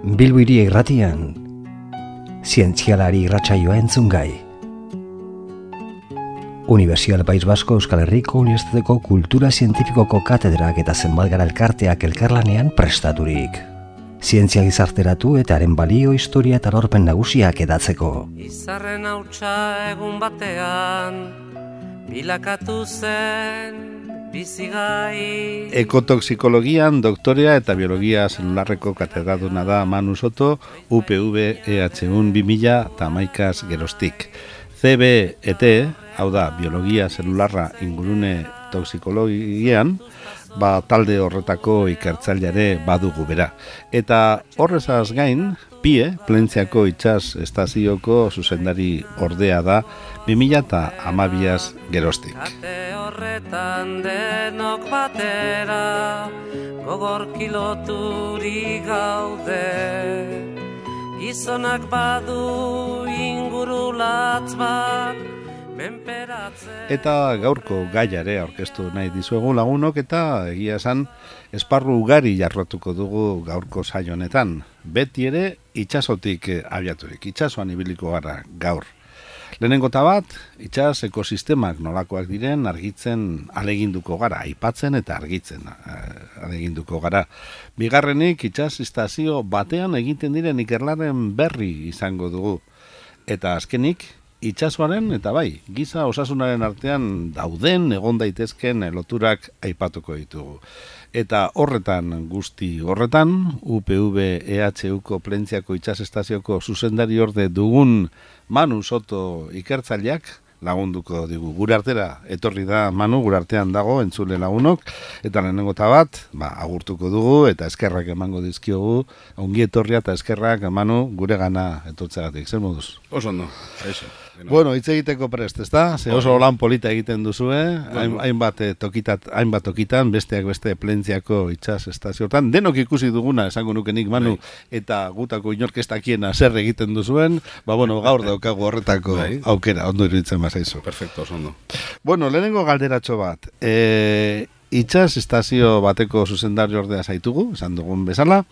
Bilbo Hiri Irratian, zientzialari irratsaioa entzungai. Unibertsial País Basko Euskal Herriko Unibertsitateko Kultura Zientifikoko katedrak eta zenbat elkarteak elkarlanean prestaturik. Zientzia gizarteratu eta haren balio, historia eta lorpen nagusiak edatzeko. Izarren hautsa egun batean, bilakatu zen bizigai. Ekotoksikologian doktorea eta biologia zelularreko katedraduna da Manu Soto, UPV EH1 2011 geroztik. CBET, hau da, biologia zelularra ingurune toksikologian, talde horretako ikertzaileare badugu bera. Eta horrezaz gain, PIE, Plentziako itsas estazioko zuzendari ordea da 2012 geroztik. Kate horretan denok batera, gogor kiloturi gaude. Gizonak badu ingurulatz bat, menperatzen. Eta gaurko gaiare aurkeztu nahi dizuegu lagunok eta egia esan esparru ugari jarratuko dugu gaurko saio honetan. Beti ere itsasotik abiaturik, itsasoan ibiliko gara gaur. Lehenengo bat, itsas ekosistemak nolakoak diren argitzen aleginduko gara, aipatzen eta argitzen aleginduko gara. Bigarrenik, itsas estazio batean egiten diren ikerlaren berri izango dugu. Eta azkenik, itsasoaren eta bai, giza osasunaren artean dauden egon daitezken loturak aipatuko ditugu. Eta horretan guzti horretan, UPV EHUko Plentziako itsas estazioko zuzendari orde dugun Manu Soto ikertzaileak lagunduko digu. Gure artera etorri da Manu, gure artean dago entzule lagunok, eta lehenengo bat, agurtuko dugu eta eskerrak emango dizkiogu. Ongi etorria eta eskerrak Manu gure gana etortzeagatik. Zer moduz? Oso ondo, eso. Bueno, hitz egiteko prest, ezta? Ze oso lan polita egiten duzue, hainbat tokitan, besteak beste Plentziako itsas estazioetan, denok ikusi duguna, esango nukenik Manu, eta gutako inork ez dakiena zer egiten duzuen, gaur daukagu horretako aukera, ondo iruditzen bazaizu. Perfecto, oso ondo. Bueno, lehenengo galderatxo bat, itsas estazio bateko zuzendari ordea zaitugu, esan dugun bezala,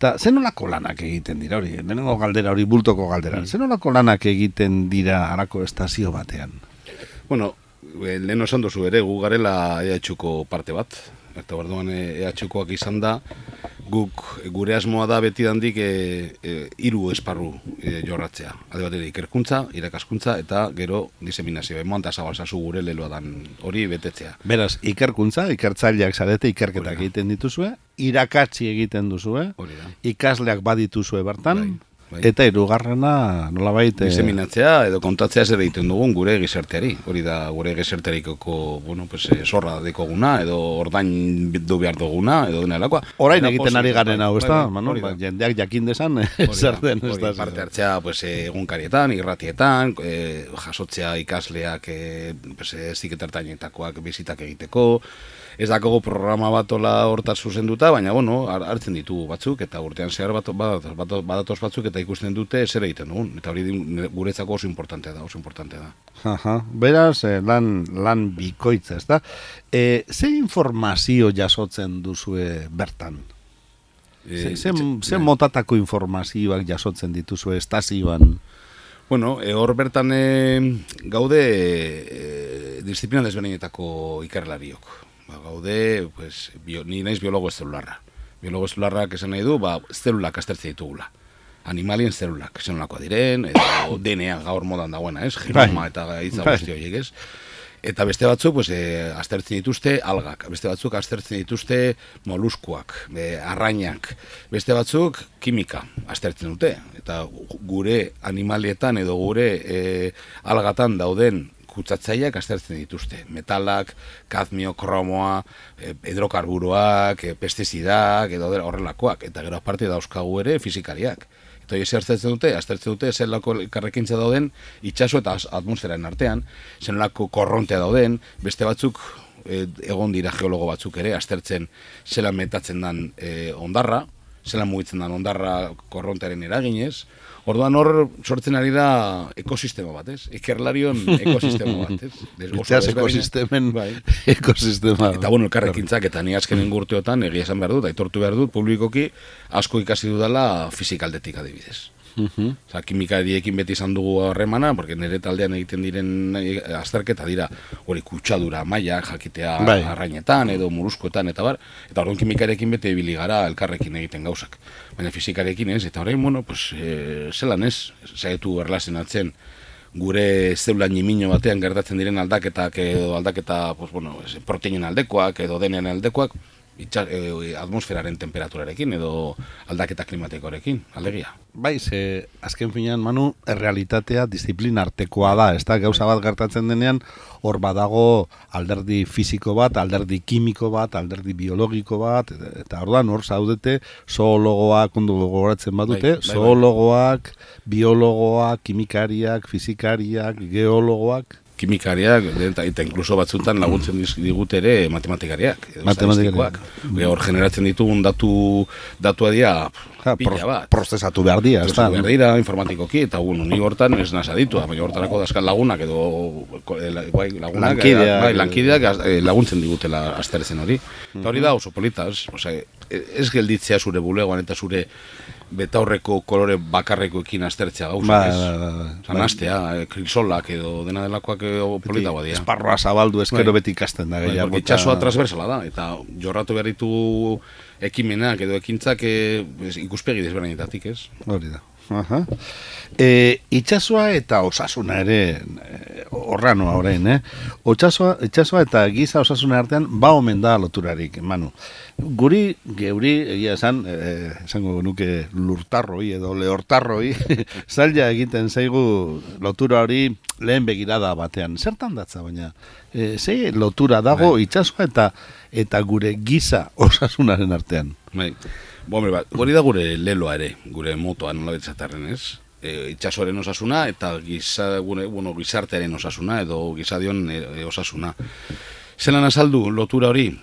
eta zenolako lanak egiten dira hori, lehenengo galdera hori bultoko galdera, zenolako lanak egiten dira harako estazio batean? Bueno, lehen esan duzu ere, gu garela EHUko parte bat, eta berduan EHUkoak izan da, guk gure asmoa da beti dandik 3 esparru jorratzea. Alde batera ikerkuntza, irakaskuntza eta gero diseminazio. Emoan eta zabalzazu gure leloa dan hori betetzea. Beraz, ikerkuntza, ikertzaileak zarete, ikerketak egiten dituzue, irakatsi egiten duzue, ikasleak badituzue bertan, eta hirugarrena nolabait diseminatzea edo kontatzea zer egiten dugun gure gizarteari. Hori da gure gizartearikoko, zorra dekoguna edo ordain du behar duguna edo denelakoa. Orain egiten ari garen hau, ezta? Jendeak jakin desan zer den, ezta? Parte hartzea egunkarietan, irratietan, jasotzea ikasleak ziketartainetakoak bizitak egiteko. Ez dakogu programa bat hortaz zuzenduta, baina hartzen ditugu batzuk, eta urtean zehar badatoz batzuk eta ikusten dute zer egiten dugun. Eta hori guretzako oso importantea da. Beraz, lan bikoitza, ez da? Ze informazio jasotzen duzue bertan? Ze motatako informazioak jasotzen dituzue estazioan? Bueno, hor bertan gaude disiplina desberdinetako ikerlariok. Gaude, ni naiz biologo zelularra. Biologo zelularrak esan nahi du, zelulak aztertzen ditugula. Animalien zelulak, esan nolakoa diren, edo DNA gaur modan dagoena, ez? Genoma eta gaitza guzti horiek, ez? Eta beste batzuk, aztertzen dituzte algak, beste batzuk aztertzen dituzte moluskuak, arrainak, beste batzuk kimika aztertzen dute. Eta gure animalietan edo gure algatan dauden kutsatzaileak aztertzen dituzte. Metalak, kadmio, kromoa, hidrokarburoak, pestizidak, edo horrelakoak. Eta gero aparte dauzkagu ere fizikariak. Eta hori aztertzen dute zelako karrekintza dauden itsaso eta atmosferaren artean, zelako korrontea dauden, beste batzuk, egon dira geologo batzuk ere, aztertzen zelan metatzen den ondarra, zelan mugitzen da ondarra korrontearen eraginez. Orduan hor sortzen ari da ekosistema bat, ez? Ikerlarion ekosistema bat, ez? Itxas ekosistemen ekosistema. Eta bueno, elkarrekintzak eta ni azkenen urteotan egia esan behar dut, aitortu behar dut, publikoki asko ikasi dudala fizikaldetik adibidez. Osa, kimikariekin beti izan dugu harremana, porque nire taldean egiten diren azterketa dira hori kutsadura maila jakitea arrainetan edo muruskoetan eta bar, eta orduan kimikariekin beti ibili gara elkarrekin egiten gauzak. Baina fizikarekin ez, eta orain, bueno, pues, zelan ez, zaitu erlazionatzen gure zeula nimino batean gertatzen diren aldaketak edo aldaketa, pues, bueno, proteinen aldekoak edo denen aldekoak, atmosferaren temperaturarekin edo aldaketa klimatikoarekin, alegia. Bai, ze azken finean, Manu, errealitatea disiplina artekoa da, ez da, gauza bat gertatzen denean, hor badago alderdi fisiko bat, alderdi kimiko bat, alderdi biologiko bat, eta orduan hor zaudete zoologoak ondo gogoratzen badute, zoologoak, biologoak, kimikariak, fizikariak, geologoak, kimikariak, eta inkluso batzutan laguntzen digute ere matematikariak, statistikoak. Hor generatzen ditugun datua dira pila bat. Prozesatu behar dira, ez da? Prozesatu behar dira, informatikoki, eta ni hortan ez nasa ditu, baina hortarako dazkan lagunak edo lankideak laguntzen digutela asterezen hori. Eta hori da oso polita, ez gelditzea zure bulegoan eta zure betaurreko kolore bakarrekoekin aztertzea gauzak, nastea, krisolak edo dena delakoak polita badia. Esparroa zabaldu ezkero beti ikasten da. Itxasoa transversala da, eta jorratu behar ditu ekimenak edo ekintzak ikuspegi desberdinetatik, ez? Hori da. Itxasoa eta osasuna ere horranoa orain, itxasoa eta giza osasuna artean ba omen da loturarik, Manu. Geuri, egia esango nuke lurtarroi edo lehortarroi, zaila egiten zaigu lotura hori lehen begirada batean. Zertan datza, baina? Ze lotura dago itxasoa eta gure giza osasunaren artean? Bai. Hori da gure leloa ere, gure motoa nola betzatarren, ez? Itxasoaren osasuna eta gizartearen osasuna edo gizadion osasuna. Zelan azaldu lotura hori,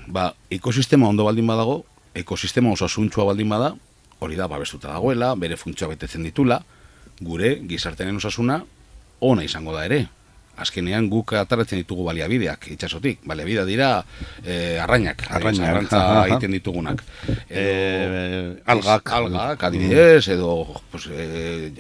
ekosistema ondo baldin badago, ekosistema osasuntxua baldin bada, hori da babestuta dagoela, bere funtzioa betetzen ditula, gure gizartearen osasuna ona izango da ere. Azkenean guk ataratzen ditugu baliabideak itxasotik. Baliabidea dira arrainak, arrantza egiten ditugunak. Algak, adibidez, edo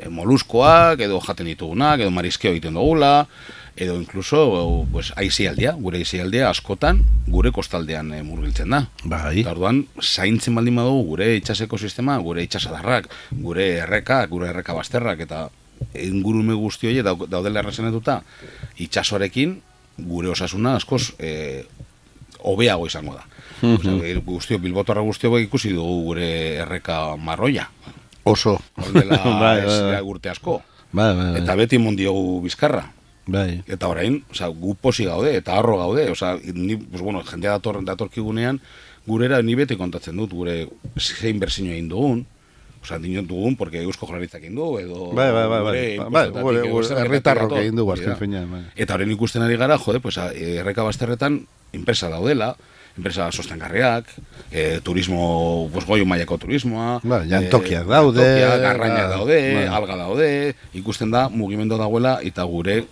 moluskoak, edo jaten ditugunak, edo mariskeo egiten dugula, edo inkluso aizialdia, gure aizialdia askotan gure kostaldean murgiltzen da. Eta orduan, zaintzen baldin badugu gure itxaseko sistema, gure itxasadarrak, gure erreka bazterrak, eta ingurume guzti hori daudela errezenetuta itxasoarekin gure osasuna askoz hobeago izango da. Guztio, bilbotarra guztio ikusi dugu gure erreka marroia. Oso. Horrela urte asko. Eta beti mondiogu bizkarra. Eta orain, gu posi gaude, eta arro gaude. Jendea datorkigunean, gurera ni beti kontatzen dut, gure zein berzino egin dugun. Dinot dugun, porque Eusko Jaurlaritzak egin du, edo... Herritarrok egin du, azken finean. Eta horren ikusten ari gara, erreka bazterretan, enpresa daudela, enpresa sostengarriak, turismo, goio mailako turismoa... Jantokiak daude... Garrainak daude, alga daude, ikusten da, mugimendu dagoela, eta gure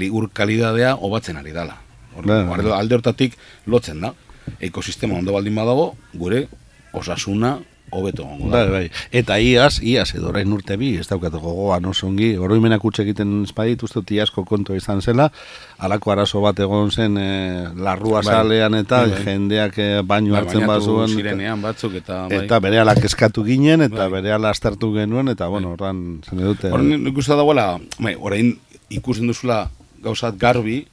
ur kalidadea hobatzen ari dela. Alde hortatik lotzen da. Ekosistema ondo baldin badago, gure osasuna hobeto gongo da. Eta iaz edo orain urte bi, ez daukat gogoan osongi, oroimenak utxe egiten espait, uste dut iazko kontua izan zela, halako arazo bat egon zen larrua salean eta jendeak baino hartzen bazuen. Zirenean batzuk eta berehala kezkatu ginen, eta berehala astartu genuen, eta horran zen edute. Horren ikusten dagoela, orain ikusten duzula gauzat garbi,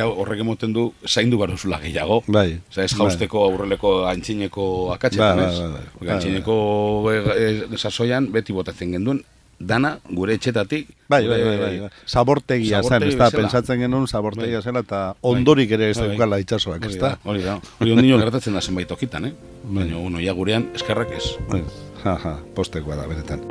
horrek emoten du zaindu behar duzula gehiago. Ez jausteko aurreleko antxineko akatxetan, ez? Antxineko sasoian beti botatzen genduen, dana gure etxetatik. Zabortegia zen, ez da, pentsatzen genuen zabortegia zela, eta ondorik ere ez daukala itxasoak, ez da? Hori da, hori ondino gertatzen da zenbait tokitan, baina ia gurean eskerrak ez. Postekoa da, beretan.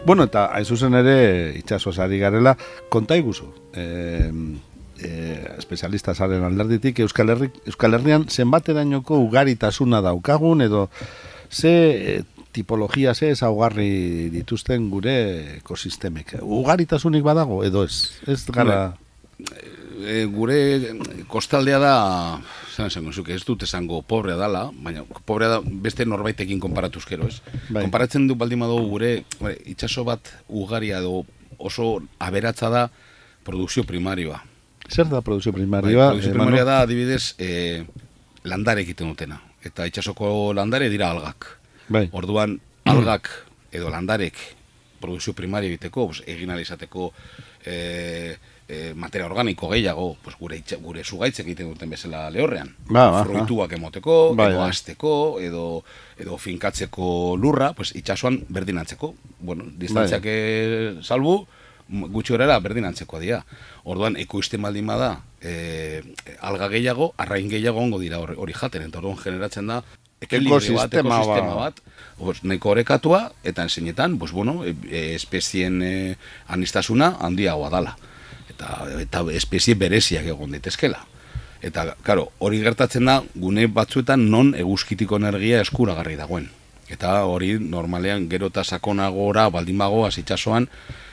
Bueno, eta hain zuzen ere itxasoaz ari garela, konta iguzu. espezialista zaren alderditik, Euskal Herrian zenbaterainoko ugaritasuna daukagun, edo ze tipologia, ze ezaugarri dituzten gure ekosistemek. Ugaritasunik badago, edo ez? Ez gara... Gure kostaldea da, ez dut esango pobrea dala, baina pobrea da beste norbaitekin konparatuzkero, ez? Bai. Konparatzen du baldin badugu gure itsaso bat ugaria edo oso aberatza da produkzio primarioa. Zer da produkzio primarioa? Produkzio primarioa da, adibidez, landare egiten dutena. Eta itsasoko landare dira algak. Bai. Orduan, algak edo landarek produkzio primario egiteko, egin alizateko materia organiko gehiago, gure zugaitzek egiten duten bezala lehorrean. Fruituak emoteko, edo azteko, edo finkatzeko lurra, itsasoan berdinantzeko. Bueno, distantziak salbu, gutxi horrela berdinantzeko dira. Orduan, ekoizten baldin bada, alga gehiago, arrain gehiago ongo dira hori jaten, eta orduan generatzen da ekosistema bat, nahiko orekatua, eta enseñetan, espezien anistasuna handiagoa dala. Eta espezie bereziak egon daitezkela. Eta, karo, hori gertatzen da, gune batzuetan non eguzkitiko energia eskuragarri dagoen. Eta hori normalean gerota sakonagora baldin bagoaz itsasoan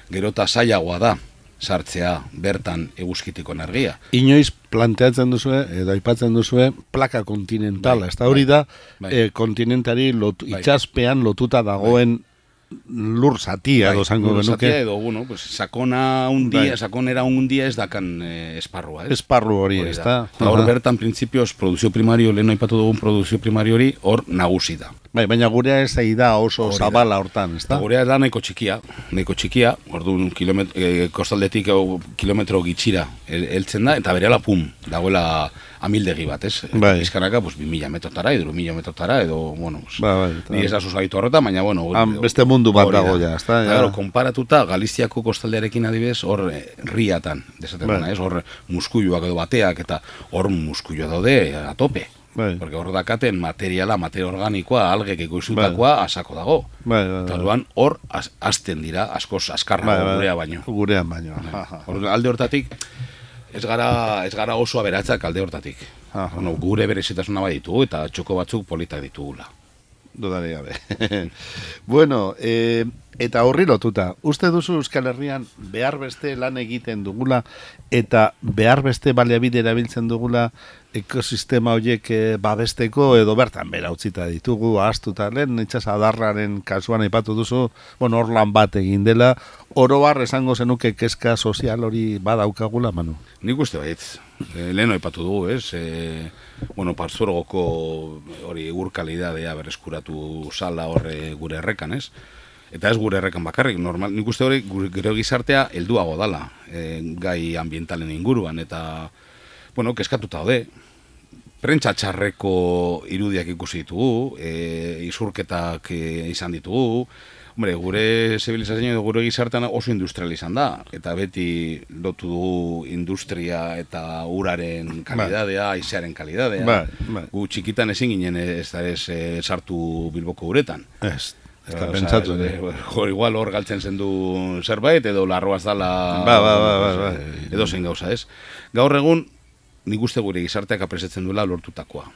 gerota zailagoa da sartzea bertan eguzkitiko energia. Inoiz planteatzen duzue, edo aipatzen duzue, plaka kontinentala. Ez da hori da, kontinentari itsaspean lotuta dagoen lur zatia, edo zango genuke. Edo, sakonera un dia ez dakan esparrua. Esparru hori, ez da. Hor bertan, printzipioz, produzio primario, lehen aipatu dugun produzio primario hori, hor nagusi da. Baina gurea ez da oso zabala hortan, ez da? Gurea da nahiko txikia, orduan kostaldetik kilometro gitxira heltzen da, eta berehala pum, dagoela amildegi bat, ez? Bizkanaka, 2.000 metrotara, edo 1.000 metrotara, edo, ni ez da susaitu horretan, baina, beste mundu bat dago ja, ez da? Claro, konparatuta, Galiziako kostaldearekin adibidez, hor riatan, desaten dena, ez? Hor muskuiluak edo bateak, eta hor muskuilua daude a tope. Porque hor dakaten materia organikoa, algek ekoizutakoa asako dago. Eta orduan hor azten dira, askoz askarra gurean baino. Alde hortatik, ez gara oso aberatzak alde hortatik. Gure berezitasuna bai ditugu eta txoko batzuk politak ditugula. Dudari gabe. Bueno, eta horri lotuta, uste duzu Euskal Herrian behar beste lan egiten dugula eta behar beste baliabide erabiltzen dugula ekosistema horiek babesteko, edo bertan bera utzita ditugu, ahaztuta lehen, itxas adarraren kasuan aipatu duzu, hor lan bat egin dela, orobar esango zenuke kezka sozial hori badaukagula, Manu? Nik uste baitz, lehen aipatu dugu, ez? Partzuergoko hori urkalidadea berreskuratu sala horre gure errekan, ez? Eta ez gure errekan bakarrik, normal, nik uste hori gure gizartea helduago dala, gai ambientalen inguruan, eta, kezkatuta daude. Prentsa txarreko irudiak ikusi ditugu, izurketak izan ditugu, gure zibilizazioa edo gure gizartean oso industrial izan da, eta beti lotu dugu industria eta uraren kalidadea, haizearen kalidadea. Gu txikitan ezin ginen ez sartu Bilboko uretan. Ez da pentsatu. Igual hor galtzen zendu zerbait, edo larroaz dala edo zein gauza, ez? Gaur egun, nik uste gure gizarteak apresetzen duela lortutakoa.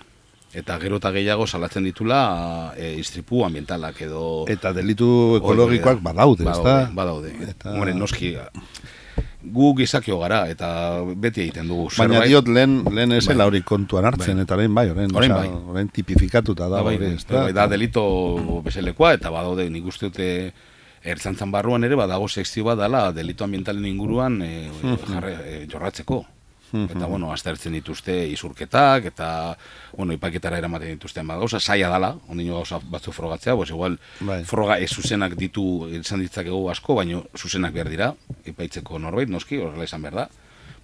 Eta gero eta gehiago salatzen ditula istripu ambientalak edo... Eta delitu ekologikoak badaude, ez da? Badaude. Noski, gu gizakio gara, eta beti egiten dugu. Baina diot lehen esela hori kontuan hartzen, eta orain tipifikatuta da. Da delito bezalekoa, eta badaude nik uste dute ertzantzan barruan ere, badago sekzio bat dela delito ambientalen inguruan jorratzeko. Eta, aztertzen dituzte izurketak, eta, ipaketara eramaten dituzten bat gauza, saia dala, ondino gauza batzu frogatzea, igual, froga ez zuzenak ditu izan ditzakegu asko, baina zuzenak behar dira, ipaitzeko norbait, noski, horrela izan behar da,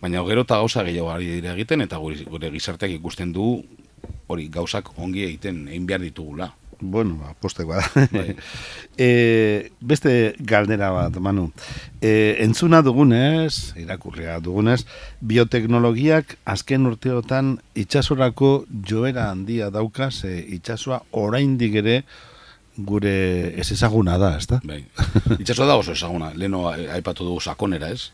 baina gero eta gauza gehiago ari dira egiten, eta gure gizarteak ikusten du, hori gauzak ongi egiten, egin behar ditugula. Apostekoa da. Beste galdera bat, Manu. Entzuna dugunez, irakurria dugunez, bioteknologiak azken urteotan itsasorako joera handia dauka, itsasoa oraindik ere gure ez ezaguna da, ezta? Itsasoa da oso ezaguna. Leno aipatu dugu sakonera, ez?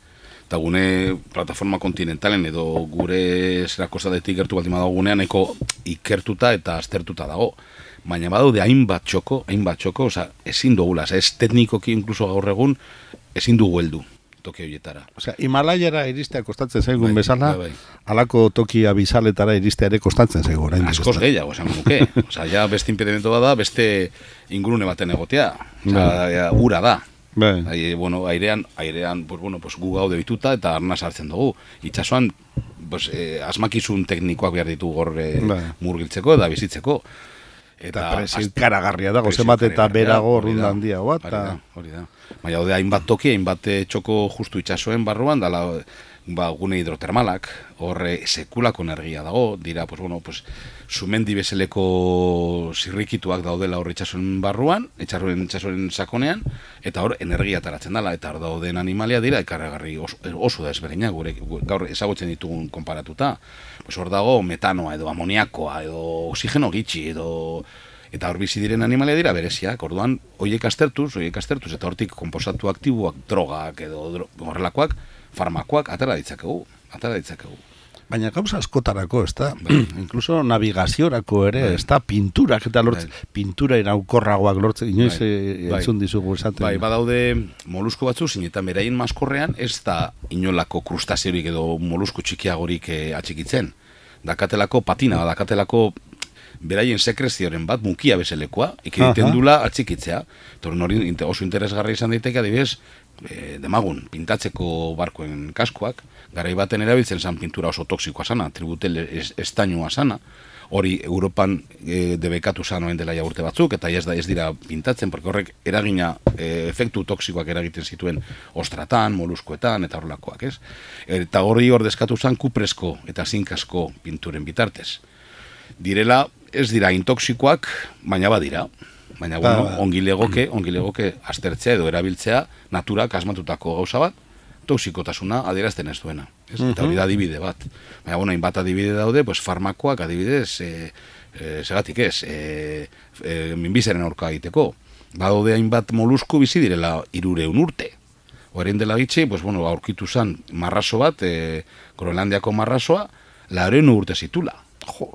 eta gune plataforma kontinentalen edo gure zera kostatetik gertu baldin badago gunean eko ikertuta eta aztertuta dago. Baina badaude hainbat txoko, osea, ezin dugula, ez teknikoki inkluso gaur egun ezin dugu heldu toki horietara. Osea, Himalaiara iristea kostatzen zaigun bezala, halako toki abisaletara iristea ere kostatzen zaigu orain. Askoz gehiago, esan nuke. Osea, ja beste impedimento bada, beste ingurune baten egotea. Osea, ura da. Bueno, airean, pues gu gaude bituta eta arnaz hartzen dugu. Itxasoan, pues, asmakizun teknikoak behar ditu gor murgiltzeko eta bizitzeko. Eta presio karagarria dago, zenbat eta berago orrunda handia bat. Hori da. Baina, hainbat toki, hainbat txoko justu itxasoen barruan, dala gune hidrotermalak, horre sekulako energia dago, dira, pues, bueno, pues, sumendi bezaleko zirrikituak daudela horre itxasoen barruan, itxasoen sakonean, eta hor energia taratzen dela, eta hor dauden animalia dira, ekarragarri oso da ezberdina, gure gaur ezagutzen ditugun konparatuta. Pues hor dago metanoa edo amoniakoa edo oxigeno gitxi edo eta hor bizi diren animalia dira bereziak. Orduan horiek aztertuz eta hortik konposatu aktiboak, drogak edo horrelakoak, farmakoak atera ditzakegu. Baina gauza askotarako, ez da? Incluso navigaziorako ere, ez da? Pinturak eta pintura iraukorragoak lortzen, inoiz entzun dizugu esaten. Badaude molusko batzu, zinetan beraien maskorrean, ez da inolako krustaziorik edo molusko txikiagorik atxikitzen. Dakatelako patina, dakatelako beraien sekrezioren bat, mukia bezalekoa, ikiditen dula atxikitzea. Torren hori oso interesgarri izan daiteke, adibidez, demagun, pintatzeko barkoen kaskoak, garai baten erabiltzen zan pintura oso toksikoa sana, tributel estainua sana, hori Europan debekatu zan oen dela urte batzuk, eta ez dira pintatzen, porque horrek eragina, efektu toksikoak eragiten zituen ostratan, moluskoetan, eta horrelakoak, ez? Eta hori ordezkatu zan kupresko eta zinkasko pinturen bitartez. Direla, ez dira intoksikoak, baina badira. Baina, bueno, ongi legoke aztertzea edo erabiltzea naturak asmatutako gauza bat, toksikotasuna adierazten ez duena. Eta hori da adibide bat. Baina, bueno, hainbat adibide daude, pues farmakoak adibidez, segatik ez, minbizaren aurka egiteko. Badaude hainbat molusku bizi direla 300 urte. Horrein dela gitxe, pues, bueno, aurkitu zan marraso bat, Groenlandiako marrasoa, 400 urte zitula.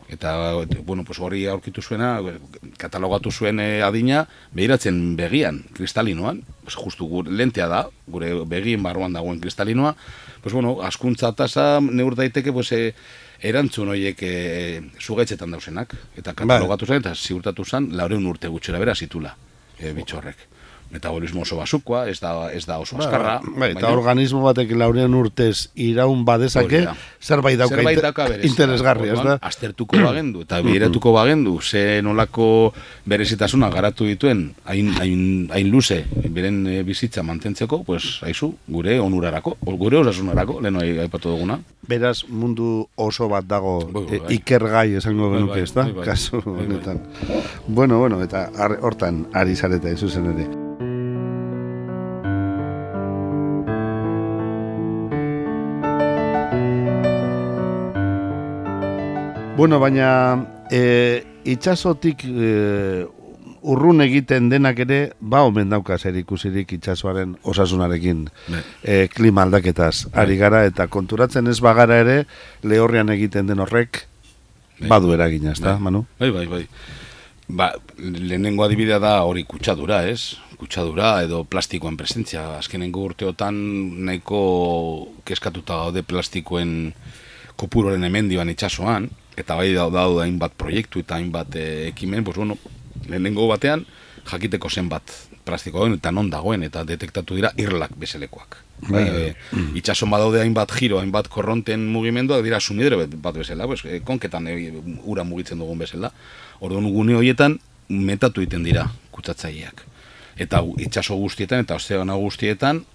Eta, bueno, pues hori aurkitu zuena, katalogatu zuen adina, behiratzen begian, kristalinoan, pues justu lentea da, gure begien barruan dagoen kristalinoa, pues bueno, askuntza tasa neur daiteke, pues erantzun horiek zugaitzetan dauzenak, eta katalogatu zen, eta ziurtatu zen, 400 urte gutxera bera zitula, bitxorrek. Metabolismo oso basukoa, ez da oso askarra. Eta organismo batek 400 urtez iraun badezake, zerbait dauka interesgarri, ez da? Aztertuko bagendu, eta biratuko bagendu, ze nolako berezitasuna garatu dituen, hain luze, beren bizitza mantentzeko, pues, haizu, gure onurarako, gure osasunarako, lehen aipatu duguna. Beraz, mundu oso bat dago ikergai esango genuke, ez da? Kasu honetan. Bueno, eta hortan ari zareta izuzen ere. Bueno, baina itxasotik urrun egiten denak ere, omen dauka zer ikusirik itxasoaren osasunarekin klima aldaketaz ari gara, eta konturatzen ez bagara ere, lehorrean egiten den horrek badu eragina, ez da, Manu? Bai. Lehenengo adibidea da hori kutsadura, ez? Kutsadura edo plastikoen presentzia. Azkenengo urteotan nahiko keskatuta gaude plastikoen kopuroren hemendiban itxasoan, eta bai daude hainbat proiektu eta hainbat ekimen, pues bueno, lehenengo batean jakiteko zenbat plastikoen eta non dagoen, eta detektatu dira irlak bezalekoak. Itxason badaude hainbat giro, hainbat korronten mugimenduak dira sumidero bat bezala, pues, konketan ura mugitzen dugun bezala. Orduan gune horietan metatu egiten dira kutsatzaileak. Eta itxaso guztietan eta ozeano guztietan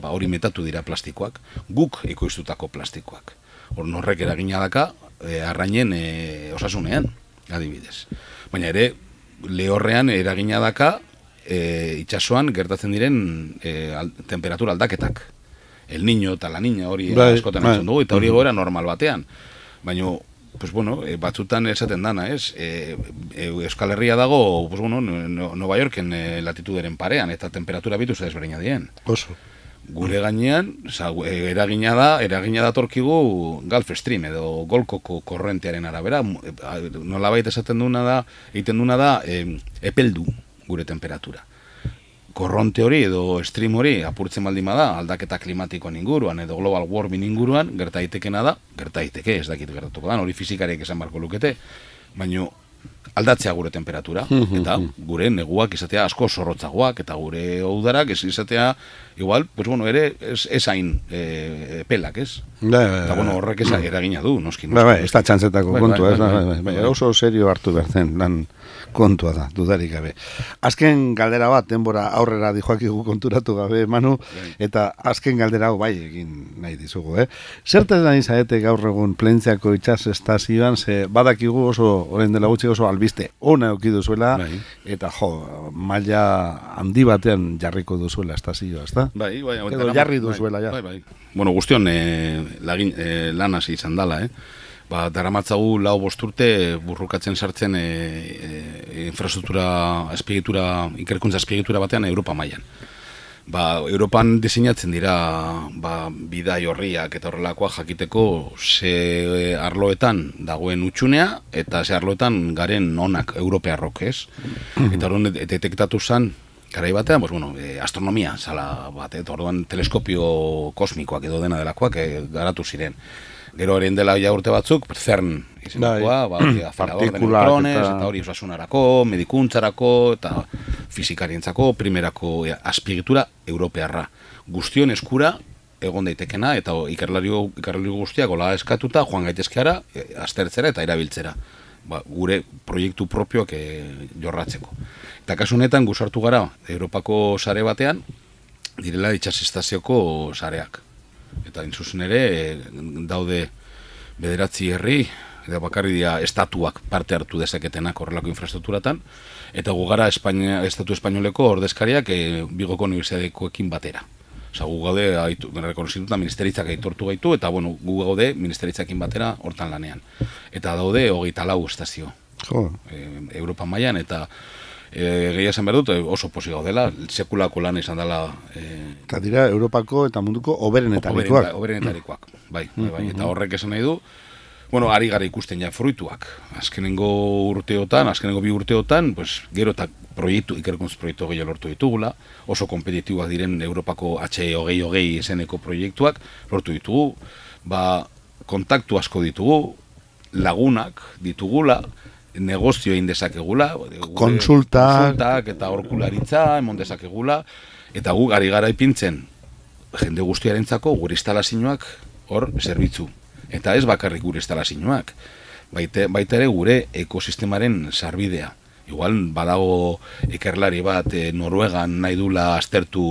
hori metatu dira plastikoak, guk ekoiztutako plastikoak. Horrek eragina daka arrainen osasunean, adibidez. Baina ere, lehorrean eragina daka itxasoan gertatzen diren temperatura aldaketak. El niño eta la niña hori askotan entzun dugu, eta hori egoera normal batean. Baina, pues bueno, batzutan esaten dana, ez? Euskal Herria dago, pues bueno, Nova Yorken latituderen parean, eta temperatura bitu desberdina dien. Oso. Gure gainean, eragina datorkigu Gulf Stream edo Golkoko korrentearen arabera, nolabait esaten egiten duna da, epeldu gure temperatura. Korronte hori edo stream hori apurtzen baldin bada, aldaketa klimatikoan inguruan edo global warming inguruan, gerta daitekena da, gerta daiteke, ez dakit gertatuko da, hori fizikariek esan barko lukete, baina aldatzea gure temperatura, eta gure neguak izatea asko zorrotzagoak, eta gure udarak ez izatea, igual, pues bueno, ere ez hain pelak, ez? Eta bueno, horrek eragina du, noski. Ez da txantzetako kontua, oso serio hartu behar zen, lan kontua da, dudarik gabe. Azken galdera bat, denbora aurrera dijoakigu konturatu gabe, Manu, eta azken galdera hau bai egin nahi dizugu, Zertaz nahi zaete gaur egun Plentziako itsas estazioan, ze badakigu oso, orain dela gutxi oso albiste ona eduki duzuela, eta maila handi batean jarriko duzuela estazioa, ezta? Bai. Edo jarri duzuela, ja. Bai. Bueno, guztion lan hasi izan dala, daramatzagu 4-5 urte burrukatzen sartzen infrastruktura ikerkuntza azpiegitura batean Europa mailan. Europan diseinatzen dira bidai horriak eta horrelakoak jakiteko ze arloetan dagoen utxunea eta ze arloetan garen onak europearrok, ez? Eta horren detektatu zen garai batean, astronomia zala bat, orduan teleskopio kosmikoak edo dena delakoak garatu ziren. Gero eren dela ja urte batzuk, CERN izenakoa, afilador de neutrones, eta hori osasunarako, medikuntzarako, eta fizikarientzako, primerako azpiegitura europearra. Guztion eskura egon daitekena, eta ikerlari guztiak gola eskatuta, joan gaitezkeara, aztertzera eta erabiltzera. Gure proiektu propioak jorratzeko. Eta kasu honetan guzartu gara, Europako sare batean, direla itsasestazioko sareak. Eta intzuzen ere, daude 9 herri, eta bakarri dira estatuak parte hartu dezaketenak horrelako infrastrukturatan, eta gu gara estatu espainoleko ordezkariak Bigoko Unibertsitatekoekin batera. Osa, gu gaude, rekonozituta ministeritzak aitortu gaitu, eta gu gaude ministeritzakin batera hortan lanean. Eta daude 24 estazio. Europa mailan, eta gehia esan behar dut, oso posi gaudela, sekulako lan izan dela. Eta dira, Europako eta munduko oberenetarikoak. Oberenetarikoak, bai. Eta horrek esan nahi du, ari gara ikusten ja fruituak. Azkenengo 2 urteotan, gero eta ikerkuntz proiektu gehiago lortu ditugula, oso kompetitiboak diren Europako HE2020 eseneko proiektuak lortu ditugu, kontaktu asko ditugu, lagunak ditugula, negozio egin dezakegula, konsultak eta aholkularitza emon dezakegula, eta gu gari gara ipintzen jende guztiarentzako gure instalazioak hor zerbitzu. Eta ez bakarrik gure instalazioak, baita ere gure ekosistemaren sarbidea. Igual badago ikerlari bat Noruegan nahi dula aztertu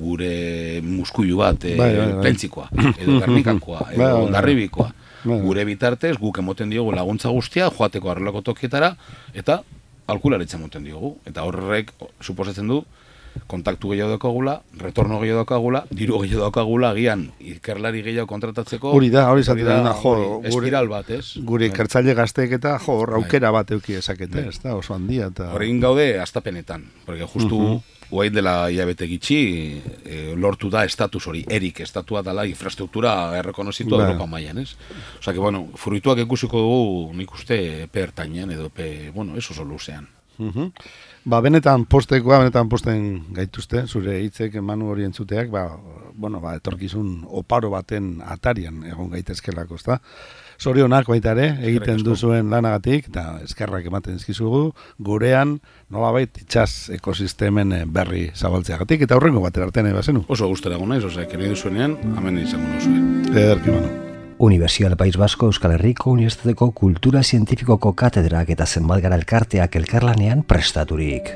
gure muskuilu bat Plentzikoa, edo Gernikakoa, edo Hondarribikoa. Gure bitartez, guk emoten diogu laguntza guztia, joateko arrelako tokietara, eta aholkularitza emoten diogu. Eta horrek suposatzen du, kontaktu gehiago daukagula, retorno gehiago daukagula, diru gehiago daukagula, agian ikerlari gehiago kontratatzeko. Hori da, hori zaten da, espiral bat, ez? Gure ikertzaile gazteek eta aukera bat euki ezakete, ez da, oso handia. Horrein gaude, astapenetan, porque justu guain dela hilabete gitxi, lortu da estatus hori, estatua dela infrastruktura errekonozitu Europa mailan, ez? Osa que, fruituak ikusiko dugu nik uste epe ertainean edo epe, ez oso luzean. Benetan posten gaituzte, zure hitzek Manu hori entzuteak, etorkizun oparo baten atarian egon gaitezkelako, ezta? Zorionak baita ere, egiten duzuen lanagatik, eta eskerrak ematen ezkizugu, gurean, nolabait, itsas ekosistemen berri zabaltzeagatik, eta horrengo batera arte nahi bazenu. Oso gustera gona, keri duzuenean, hemen izango nozuen. Ederki, Manu. Universidad País Vasco Euskal Herriko Unibertsitateko Kultura Zientifikoko katedrak eta zenbat gara elkarteak elkarlanean prestaturik.